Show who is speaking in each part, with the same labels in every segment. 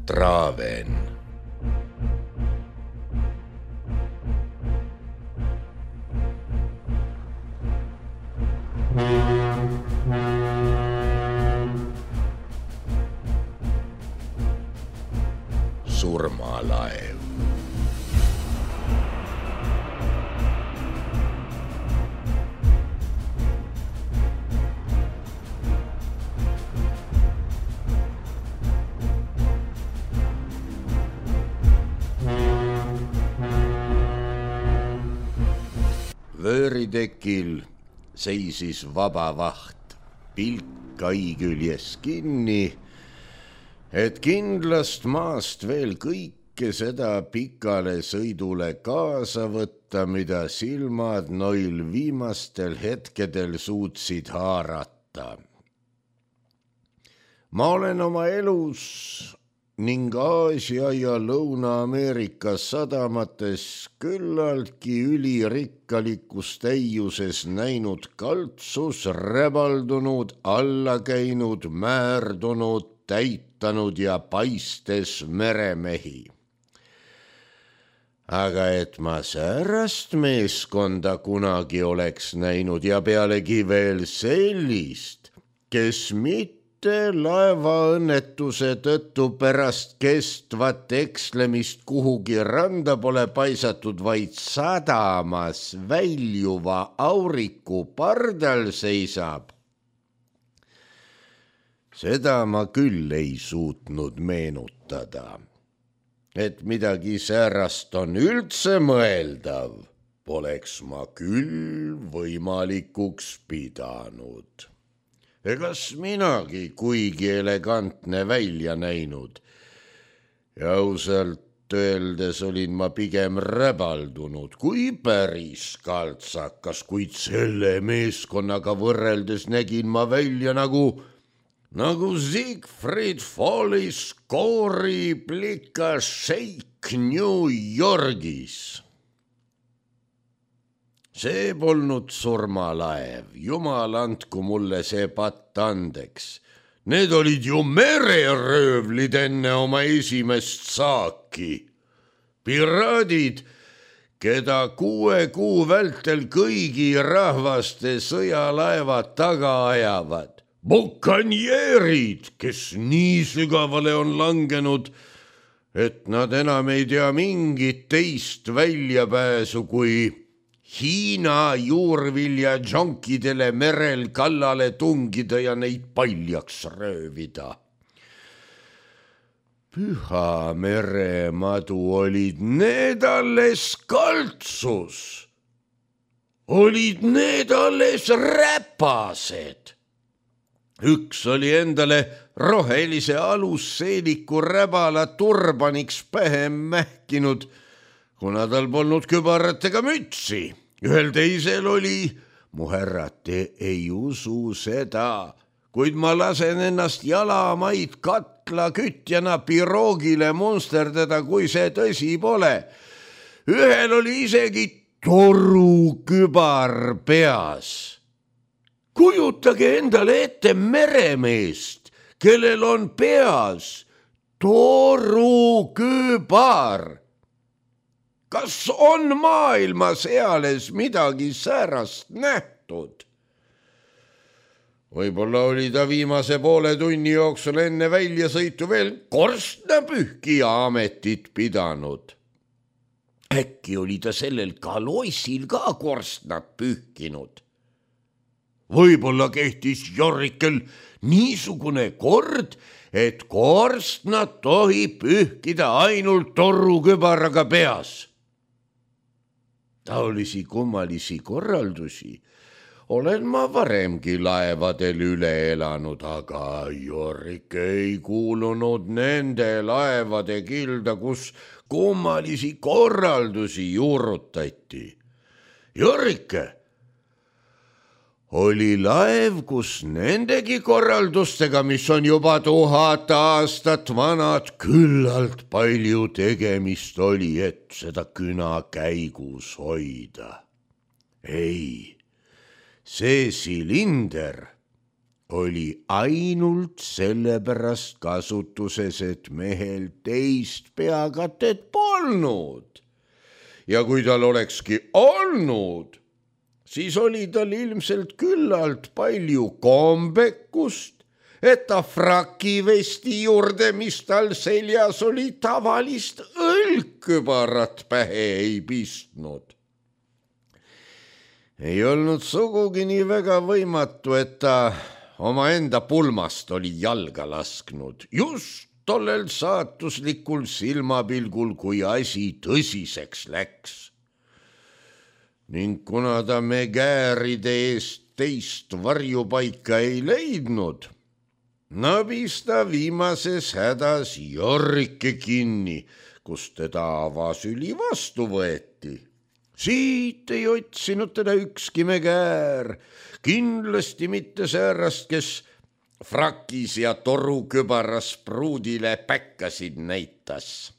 Speaker 1: Traven. Surmalaev. Vööritekil seisis vaba vaht, pilk kai küljes kinni, et kindlast maast veel kõike seda pikale sõidule kaasa võtta, mida silmad noil viimastel hetkedel suutsid haarata. Ma olen oma elus ning Aasia ja Lõuna-Ameerika sadamates küllaltki ülirikkalikus täiuses näinud kaltsus, räbaldunud, alla käinud, määrdunud, täitanud ja paistes meremehi. Aga et ma säärast meeskonda kunagi oleks näinud ja pealegi veel sellist, kes mitte laevaõnnetuse tõttu pärast kestvat ekslemist kuhugi randa pole paisatud, vaid sadamas väljuva auriku pardal seisab. Seda ma küll ei suutnud meenutada, et midagi säärast on üldse mõeldav, poleks ma küll võimalikuks pidanud. Egas minagi kuigi elegantne välja näinud ja ausalt öeldes olin ma pigem räbaldunud kui päris kaltsakas, kuid selle meeskonnaga võrreldes nägin ma välja nagu Siegfried Follis kooriplika šeik New Yorgis. See polnud surmalaev, jumal andku mulle see patt andeks. Need olid ju mereröövlid enne oma esimest saaki. Piraadid, keda 6 kuu vältel kõigi rahvaste sõjalaevad taga ajavad. Bukanjeerid, kes nii sügavale on langenud, et nad enam ei tea mingit teist väljapääsu kui Hiina juurvilja džonkidele merel kallale tungida ja neid paljaks röövida. Püha meremadu olid need alles kaltsus, olid need alles räpased. Üks oli endale rohelise alusseeliku räbala turbaniks pähe mähkinud, kuna tal polnud kübaratega mütsi. Ühel teisel oli, mu härrad, te ei usu seda, kuid ma lasen ennast jalamaid katla kütjana piroogile munsterdada, kui see tõsi pole. Ühel oli isegi torukübar peas. Kujutage endale ette meremeest, kellel on peas torukübar. Kas on maailmas eales midagi säärast nähtud? Võib-olla oli ta viimase poole tunni jooksul enne väljasõitu veel korstnapühkija ametit pidanud. Äkki oli ta sellel kaloissil ka korstnat pühkinud? Võib-olla kehtis Jorrikel niisugune kord, et korstnat tohib pühkida ainult torukübaraga peas. Taolisi kummalisi korraldusi olen ma varemgi laevadel üle elanud, aga Jorrik ei kuulunud nende laevade kilda, kus kummalisi korraldusi juurutati. Jorrike oli laev, kus nendegi korraldustega, mis on juba 1000 aastat vanad, küllalt palju tegemist oli, et seda küna käigus hoida. Ei, see silinder oli ainult sellepärast kasutuses, et mehel teist peakatet polnud. Ja kui tal olekski olnud, siis oli tal ilmselt küllalt palju kombekust, et ta frakivesti juurde, mis tal seljas oli, tavalist õlgkübarat pähe ei pistnud. Ei olnud sugugi nii väga võimatu, et ta omaenda pulmast oli jalga lasknud just tollel saatuslikul silmapilgul, kui asi tõsiseks läks. Ning kuna ta Megaäride eest teist varjupaika ei leidnud, nabis ta viimases hädas Jorrike kinni, kus teda avasüli vastu võeti. Siit ei otsinud teda ükski Megaär, kindlasti mitte säärast, kes frakis ja torukübaras pruudile päkkasid näitas.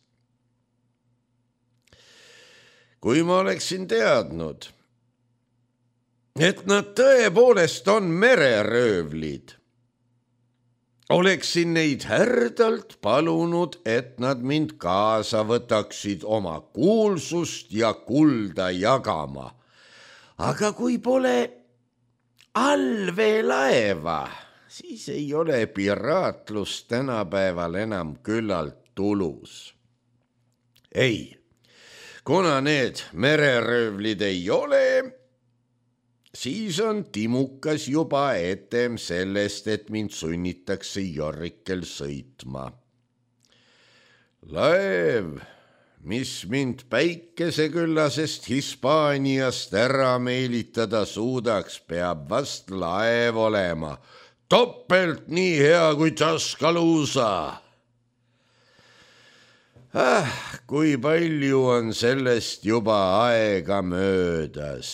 Speaker 1: Kui ma oleksin teadnud, et nad tõepoolest on mereröövlid, oleksin neid härdalt palunud, et nad mind kaasa võtaksid oma kuulsust ja kulda jagama. Aga kui pole allveelaeva, siis ei ole piraatlus tänapäeval enam küllalt tulus. Ei, kuna need mereröövlid ei ole, siis on timukas juba etem sellest, et mind sunnitakse Jorrikel sõitma. Laev, mis mind päikeseküllasest Hispaaniast ära meelitada suudaks, peab vast laev olema, toppelt nii hea kui Tuscaloosa. Kui palju on sellest juba aega möödas.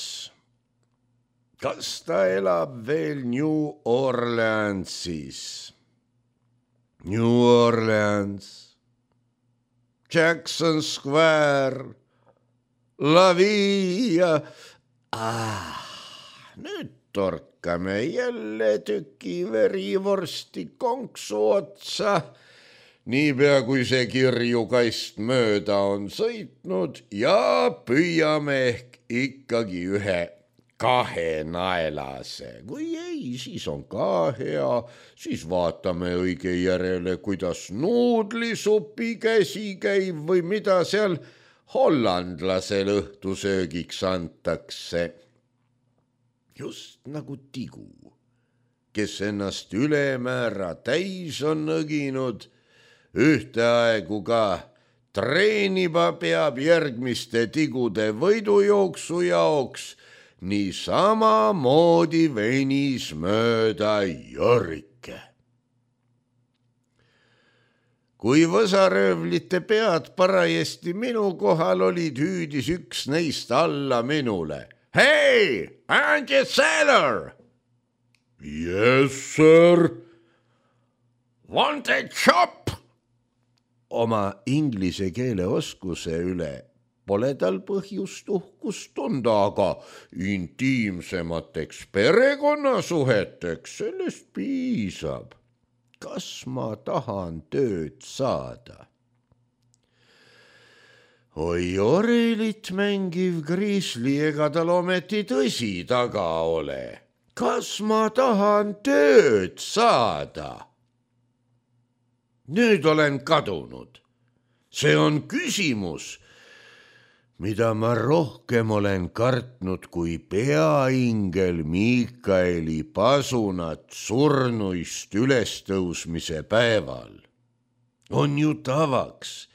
Speaker 1: Kas ta elab veel New Orleansis? New Orleans, Jackson Square, La Via. Nüüd torkame jälle tüki verivorsti konksu otsa. Niipea kui see kirjukast mööda on sõitnud ja püüame ehk ikkagi ühe kahenaelase. Kui ei, siis on ka hea, siis vaatame õige järele, kuidas nuudlisupi käsi käib või mida seal hollandlasel õhtusöögiks antakse. Just nagu tigu, kes ennast ülemäära täis on nõginud, ühteaegu ka treeniba peab järgmiste tigude võidujooksu jaoks, nii samamoodi venis mööda Jorrike. Kui võsaröövlite pead parajasti minu kohal olid, hüüdis üks neist alla minule. Hey, aren't you sailor? Yes, sir. Want a chop? Oma inglise keele oskuse üle pole tal põhjust uhkust tunda, aga intiimsemateks perekonnasuheteks sellest piisab. Kas ma tahan tööd saada? Oi, orelit mängiv Grizzly, ega tal ometi tõsi taga ole. Kas ma tahan tööd saada? Nüüd olen kadunud. See on küsimus, mida ma rohkem olen kartnud kui peaingel Miikaeli pasunat surnuist ülestõusmise päeval. On ju tavaks,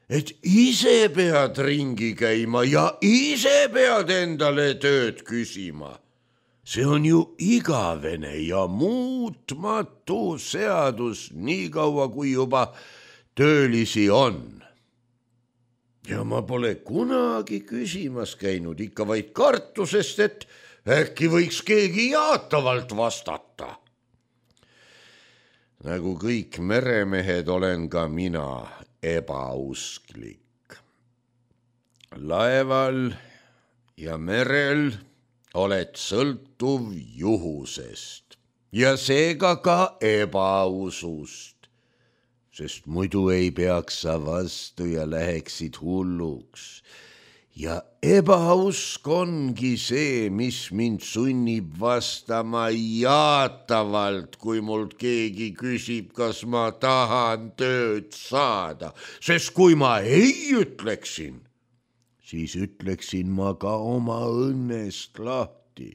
Speaker 1: et ise pead ringi käima ja ise pead endale tööd küsima. See on ju igavene ja muutmatu seadus, nii kaua kui juba töölisi on. Ja ma pole kunagi küsimas käinud, ikka vaid kartusest, et äkki võiks keegi jaatavalt vastata. Nagu kõik meremehed olen ka mina ebausklik. Laeval ja merel oled sõltuv juhusest. ja seega ka ebausust, sest muidu ei peaks sa vastu ja läheksid hulluks. Ja ebausk ongi see, mis mind sunnib vastama jaatavalt, kui mult keegi küsib, kas ma tahan tööd saada, sest kui ma ei ütleksin, siis ütleksin ma ka oma õnnest lahti.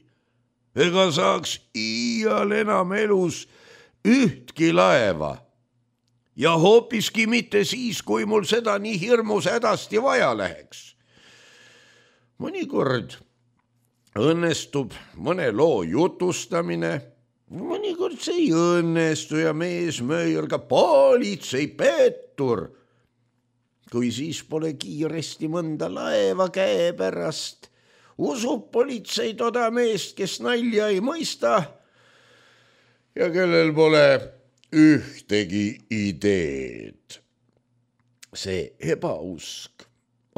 Speaker 1: Ega saaks iial enam elus ühtki laeva ja hoopiski mitte siis, kui mul seda nii hirmus hädasti vaja läheks. Mõnikord õnnestub mõne loo jutustamine, mõnikord see ei õnnestu ja meesmööjal ka politsei pettur. Kui siis pole kiiresti mõnda laeva käepärast, usub politsei toda meest, kes nalja ei mõista ja kellel pole ühtegi ideed. See ebausk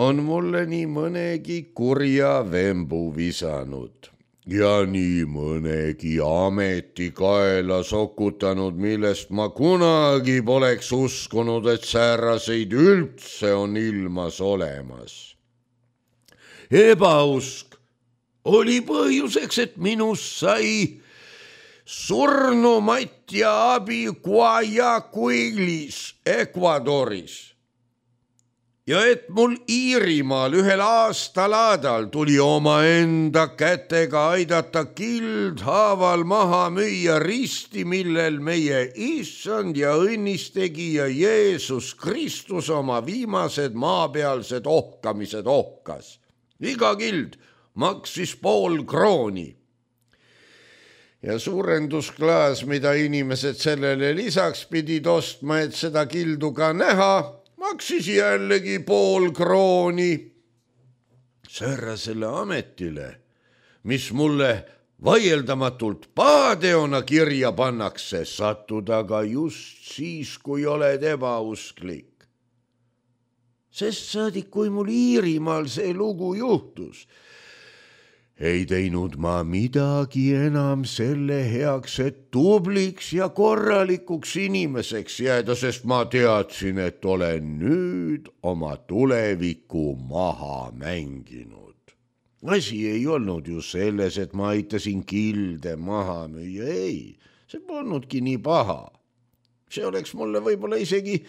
Speaker 1: on mulle nii mõnegi kurja vembu visanud ja nii mõnegi ameti kaela sokutanud, millest ma kunagi poleks uskunud, et sääraseid üldse on ilmas olemas. Ebausk oli põhjuseks, et minust sai surnumatja abi Guayaquilis, Ecuadoris. Ja et mul Iirimaal ühel aastalaadal tuli omaenda kätega aidata kildhaaval maha müüa risti, millel meie issand ja õnnistegija Jeesus Kristus oma viimased maapealsed ohkamised ohkas. Iga kild maksis 0,5 krooni. Ja suurendusklaas, mida inimesed sellele lisaks pidid ostma, et seda kildu ka näha, maksis jällegi 0,5 krooni. Säärasele ametile, mis mulle vaieldamatult pahateona kirja pannakse, sattuda ka just siis, kui oled ebausklik. Sest saadik, kui mul Iirimaal see lugu juhtus, ei teinud ma midagi enam selle heaks, et tubliks ja korralikuks inimeseks jääda, sest ma teadsin, et olen nüüd oma tuleviku maha mänginud. Asi ei olnud ju selles, et ma aitasin kilde maha müüa, ei, see polnudki nii paha. See oleks mulle võib-olla isegi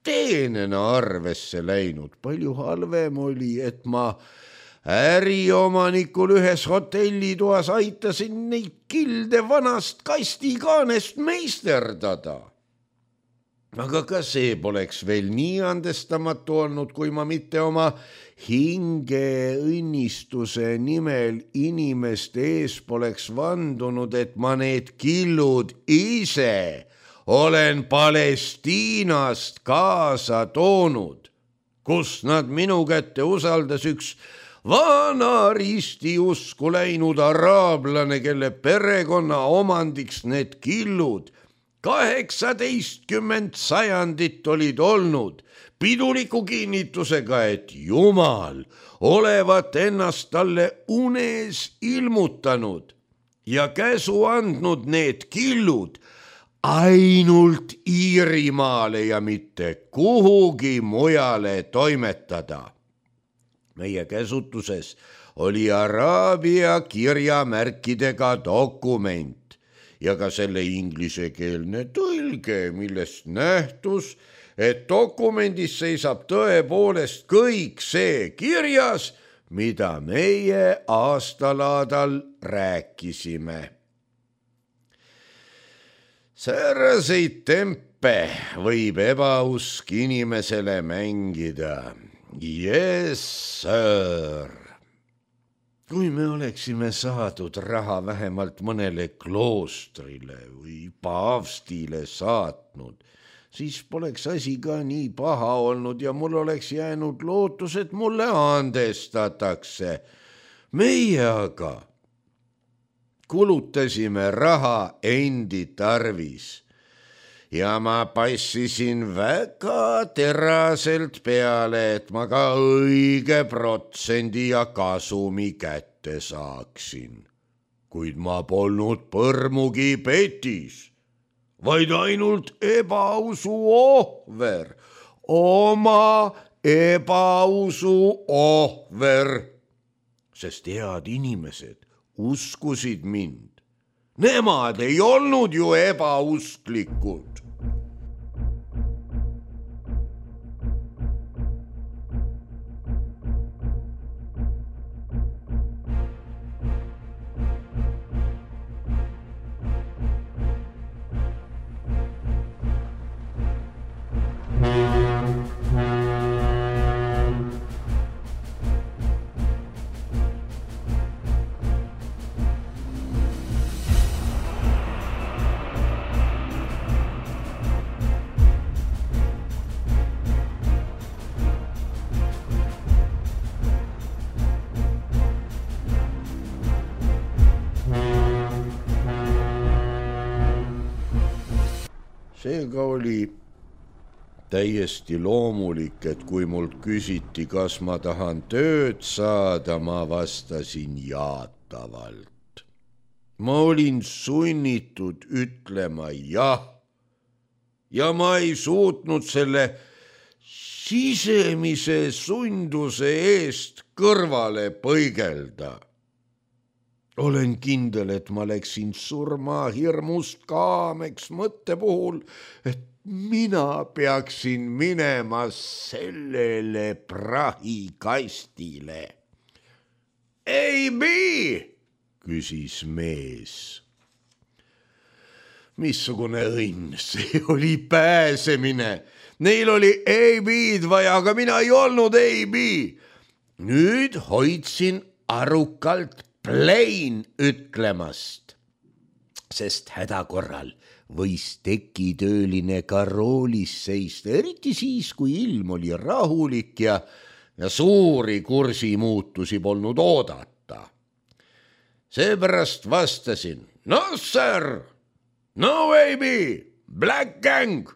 Speaker 1: teenena arvesse läinud. Palju halvem oli, et ma äriomanikul ühes hotellitoas aitasin neid kilde vanast kastikaanest meisterdada. Aga ka see poleks veel nii andestamatu olnud, kui ma mitte oma hinge õnnistuse nimel inimeste ees poleks vandunud, et ma need killud ise olen Palestiinast kaasa toonud, kus nad minu kätte usaldas üks vana ristiusku läinud araablane, kelle perekonna omandiks need killud 18 sajandit olid olnud, piduliku kinnitusega, et Jumal olevat ennast talle unes ilmutanud ja käsu andnud need killud ainult Iirimaale ja mitte kuhugi mujale toimetada. Meie käsutuses oli araabia kirjamärkidega dokument ja ka selle inglisekeelne tõlge, millest nähtus, et dokumendis seisab tõepoolest kõik see kirjas, mida meie aastalaadal rääkisime. Sääraseid tempe võib ebausk inimesele mängida. Yes, sir. Kui me oleksime saadud raha vähemalt mõnele kloostrile või paavstile saatnud, siis poleks asi ka nii paha olnud ja mul oleks jäänud lootus, et mulle andestatakse. Meie aga kulutasime raha endi tarvis ja ma passisin väga teraselt peale, et ma ka õige protsendi ja kasumi kätte saaksin. kuid ma polnud põrmugi petis, vaid ainult ebausu ohver, oma ebausu ohver, sest head inimesed uskusid mind. Nemad ei olnud ju ebausklikud. Seega oli täiesti loomulik, et kui mult küsiti, kas ma tahan tööd saada, ma vastasin jaatavalt. Ma olin sunnitud ütlema jah ja ma ei suutnud selle sisemise sunduse eest kõrvale põigelda. Olen kindel, et ma läksin surmahirmust kaameks mõtte puhul, et mina peaksin minema sellele prahikastile. Ei, küsis mees. Missugune õnn, see oli pääsemine. Neil oli AB-d vaja, aga mina ei olnud AB. Nüüd hoidsin arukalt plain ütlemast, sest häda korral võis tekitööline ka roolis seista, eriti siis, kui ilm oli rahulik ja suuri kursimuutusi polnud oodata. Seepärast vastasin, no sir, no baby, black gang,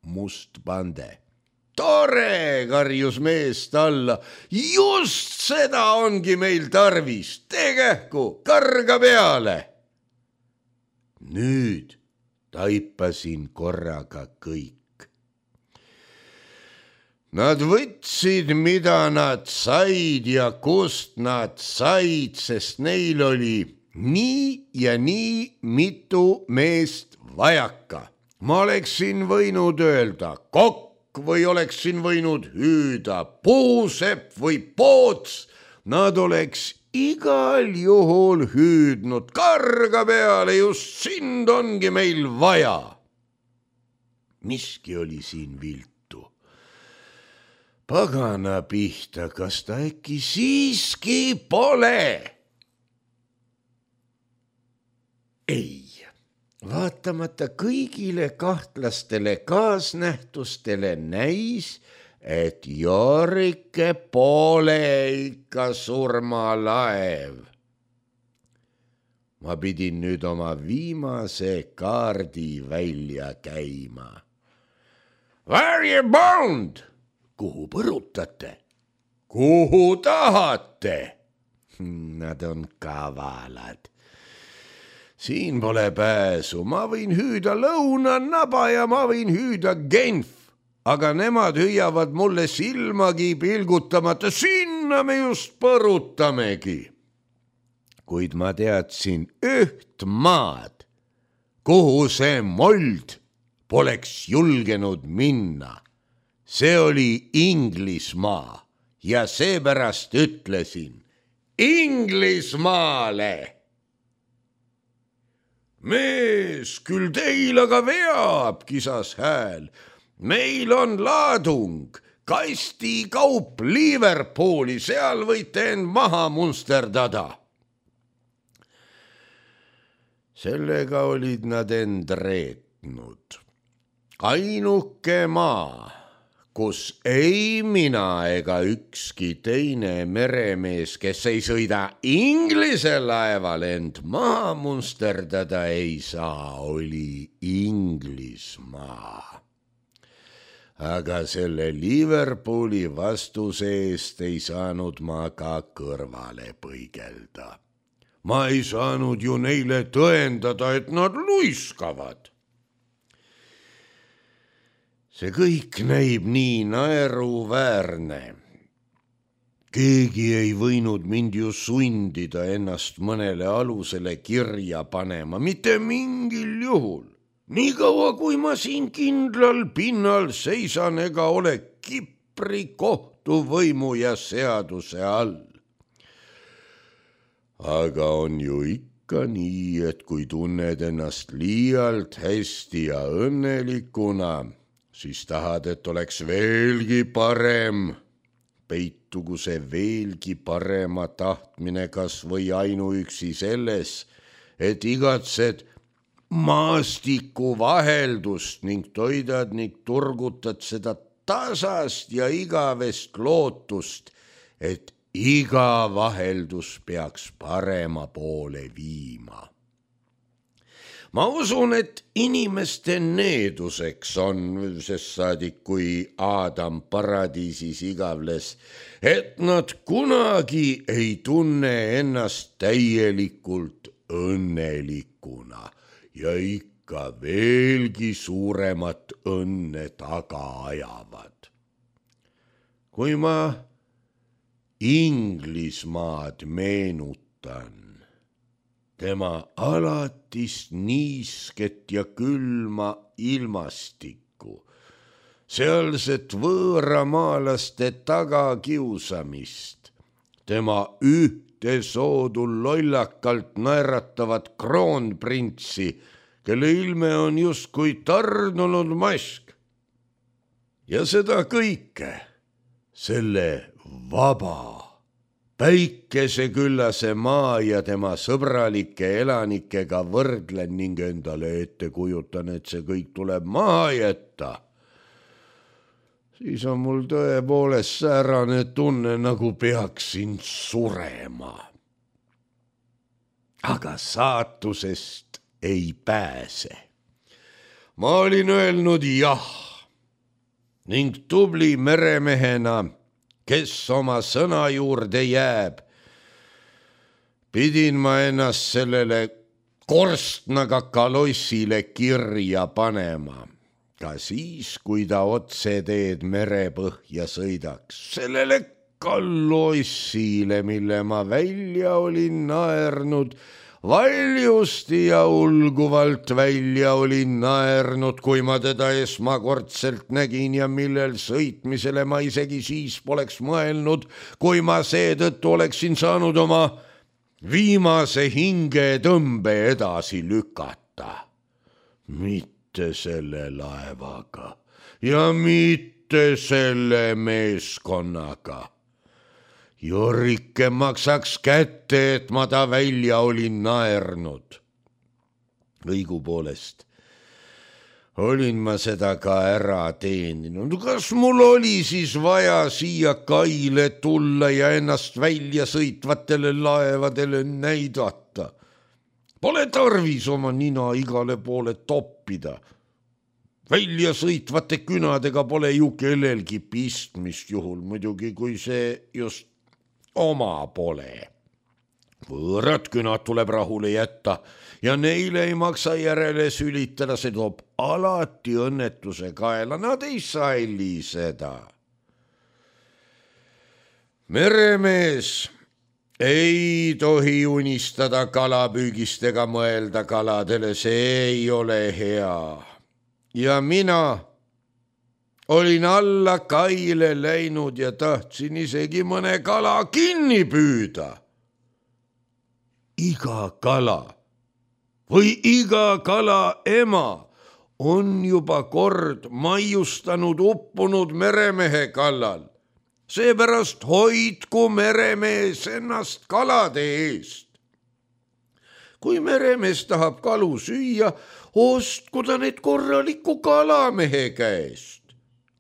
Speaker 1: must pande. Tore, karjus meest alla, just seda ongi meil tarvis, tee kähku, karga peale. Nüüd taipasin korraga kõik. Nad võtsid, mida nad said ja kust nad said, sest neil oli nii ja nii mitu meest vajaka. Ma oleksin võinud öelda kokk, või oleksin võinud hüüda puusepp või poots, nad oleks igal juhul hüüdnud karga peale, just sind ongi meil vaja. Miski oli siin viltu. Pagana pihta, kas ta äkki siiski pole? Ei. Vaatamata kõigile kahtlastele kaasnähtustele näis, et Jorike pole ikka surmalaev. Ma pidin nüüd oma viimase kaardi välja käima. Where you bound? Kuhu põrutate? Kuhu tahate? Nad on kavalad. Siin pole pääsu, ma võin hüüda lõunanaba ja ma võin hüüda Genf, aga nemad hüüavad mulle silmagi pilgutamata, sinna me just põrutamegi. Kuid ma teadsin üht maad, kuhu see mold poleks julgenud minna. See oli Inglismaa ja seepärast ütlesin Inglismaale. Mees, küll teil aga veab, kisas hääl. Meil on laadung, kastikaup Liverpooli, seal võite end maha munsterdada. Sellega olid nad end reetnud. Ainuke maa, kus ei mina ega ükski teine meremees, kes ei sõida Inglise laeval end maha munsterdada ei saa, oli Inglismaa. Aga selle Liverpooli vastuse eest ei saanud ma ka kõrvale põigelda. ma ei saanud ju neile tõendada, et nad luiskavad. See kõik näib nii naeruväärne. Keegi ei võinud mind ju sundida ennast mõnele alusele kirja panema, mitte mingil juhul. Nii kaua, kui ma siin kindlal pinnal seisan ega ole Kipri kohtuvõimu ja seaduse all. Aga on ju ikka nii, et kui tunned ennast liialt hästi ja õnnelikuna, siis tahad, et oleks veelgi parem. Peitugu see veelgi parema tahtmine kas või ainuüksi selles, et igatsed maastiku vaheldust ning toidad ning turgutad seda tasast ja igavest lootust, et iga vaheldus peaks parema poole viima. Ma usun, et inimeste needuseks on, sest saadik kui Aadam paradiisis igavles, et nad kunagi ei tunne ennast täielikult õnnelikuna ja ikka veelgi suuremat õnne taga ajavad. Kui ma Inglismaad meenutan, tema alatist niisket ja külma ilmastikku, sealset võõramaalaste tagakiusamist, tema ühte soodu lollakalt naeratavat kroonprintsi, kelle ilme on justkui tarnunud mask. Ja seda kõike, selle vaba, päikeseküllase maa ja tema sõbralike elanikega võrdlen ning endale ette kujutan, et see kõik tuleb maha jätta. Siis on mul tõepoolest säärane tunne, nagu peaksin surema. Aga saatusest ei pääse. Ma olin öelnud jah ning tubli meremehena, kes oma sõna juurde jääb, pidin ma ennast sellele korstnaga kalossile kirja panema, ka siis, kui ta otseteed merepõhja sõidaks, sellele kalossile, mille ma välja olin naernud, valjusti ja ulguvalt välja olin naernud, kui ma teda esmakordselt nägin ja millel sõitmisele ma isegi siis poleks mõelnud, kui ma seetõttu oleksin saanud oma viimase hingetõmbe edasi lükata. Mitte selle laevaga ja mitte selle meeskonnaga. Jorike maksaks kätte, et ma ta välja olin naernud. Õigupoolest olin ma seda ka ära teeninud. Kas mul oli siis vaja siia kaile tulla ja ennast välja sõitvatele laevadele näidata? Pole tarvis oma nina igale poole toppida. Välja sõitvate künadega pole ju kellelgi pistmist, juhul muidugi, kui see just oma pole. Võõrad künad tuleb rahule jätta ja neile ei maksa järele sülitada, see toob alati õnnetuse kaela, nad ei salli seda. Meremees ei tohi unistada kalapüügist ega mõelda kaladele, see ei ole hea. Ja mina olin alla kaile läinud ja tahtsin isegi mõne kala kinni püüda. Iga kala või iga kala ema on juba kord maiustanud uppunud meremehe kallal. Seepärast hoidku meremees ennast kalade eest. Kui meremees tahab kalu süüa, ostku ta need korraliku kalamehe käest.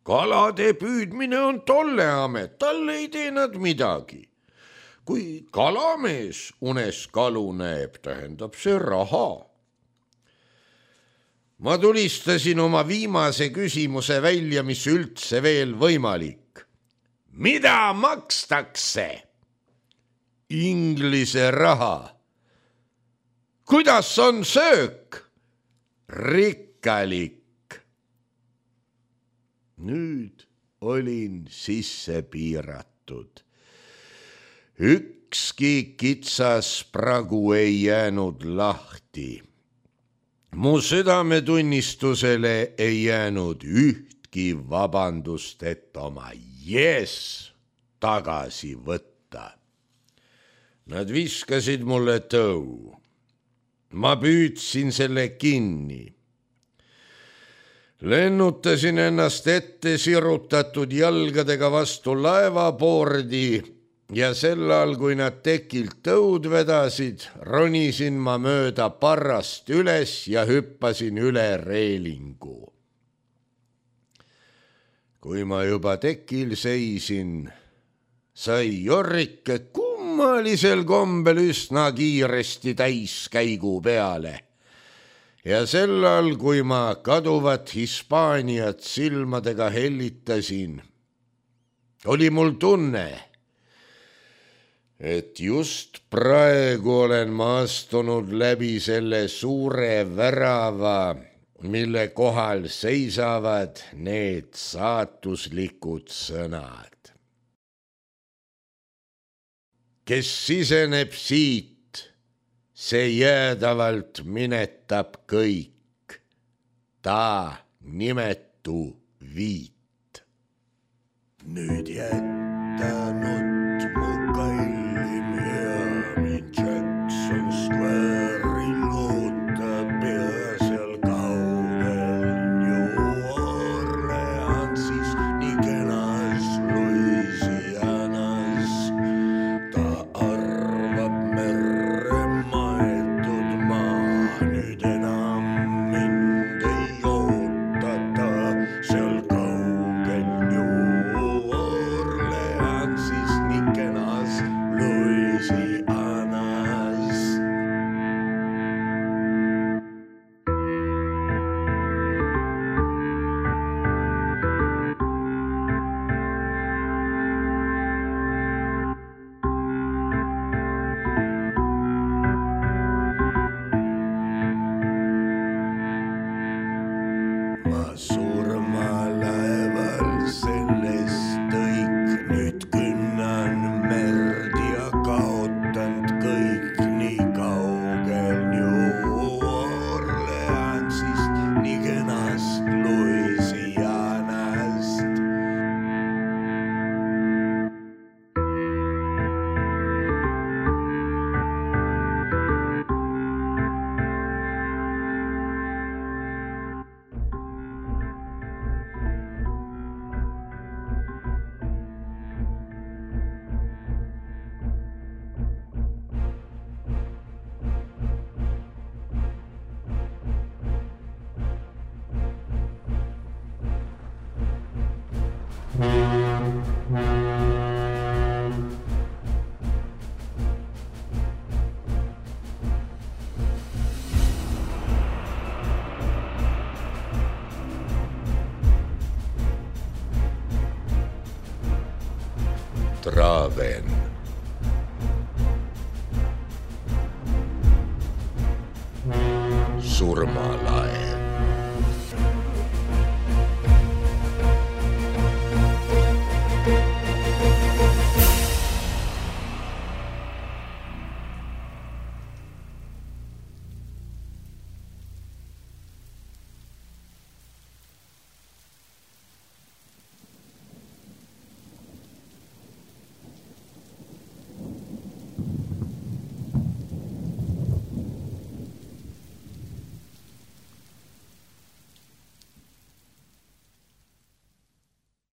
Speaker 1: Kalade püüdmine on tolle amet, talle ei tee nad midagi. Kui kalamees unes kalu näeb, tähendab see raha. Ma tulistasin oma viimase küsimuse välja, mis üldse veel võimalik. Mida makstakse? Inglise raha. kuidas on söök? Rikkalik. Nüüd olin sisse piiratud. Ükski kitsas pragu ei jäänud lahti. Mu südametunnistusele ei jäänud ühtki vabandust, et oma tagasi võtta. Nad viskasid mulle tõu. Ma püüdsin selle kinni. Lennutasin ennast ette sirutatud jalgadega vastu laevapoordi ja sel ajal, kui nad tekilt tõud vedasid, ronisin ma mööda parrast üles ja hüppasin üle reelingu. Kui ma juba tekil seisin, sai Jorrike kummalisel kombel üsna kiiresti täiskäigu peale. Ja sel ajal, kui ma kaduvat Hispaaniat silmadega hellitasin, oli mul tunne, et just praegu olen ma astunud läbi selle suure värava, mille kohal seisavad need saatuslikud sõnad. Kes siseneb siit, see jäädavalt minetab kõik, ta nimetu viit. Nüüd jätanud mu kallim hea mind Jackson Square'il ootab ja seal kaugel New Orleansis, nii kenas Louisianas. Ta arvab merre maetud maa, nüüd enam mind ei ootata seal kaugel New Orleansis, nii kenas Louisianas. Ma surmalaeval sellest õik, nüüd künnan merd ja kaotanud kõik, nii kaugel New Orleansist, nii kenast Louisianast. Traven. Surmalaev.